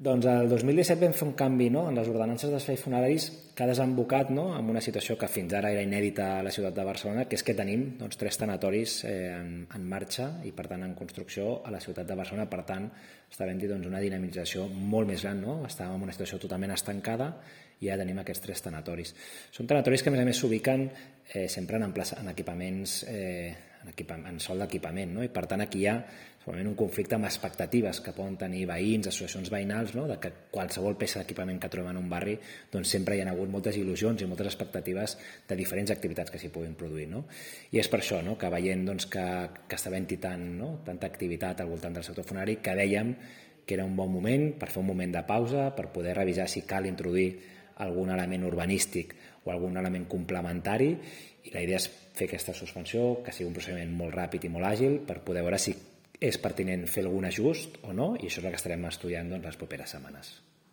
Doncs el 2017 vam fer un canvi en les ordenances d'espais funeraris que ha desembocat en una situació que fins ara era inèdita a la ciutat de Barcelona, que és que tenim 3 tanatoris en marxa i per tant en construcció a la ciutat de Barcelona. Per tant, està havent-hi una dinamització molt més gran. Estàvem en una situació totalment estancada i ja tenim aquests 3 tanatoris. Són tanatoris que a més s'ubiquen sempre en equipaments, en sòl d'equipament, i per tant aquí hi ha segurament un conflicte amb expectatives que poden tenir veïns, associacions veïnals, de que qualsevol peça d'equipament que trobem en un barri sempre hi ha hagut moltes il·lusions i moltes expectatives de diferents activitats que s'hi puguin produir. I és per això que veient que està havent-hi tanta activitat al voltant del sector funerari, que dèiem que era un bon moment per fer un moment de pausa, per poder revisar si cal introduir algun element urbanístic o algun element complementari, i la idea és fer aquesta suspensió, que sigui un procediment molt ràpid i molt àgil per poder veure si és pertinent fer algun ajust o no, i això és el que estarem estudiant les properes setmanes.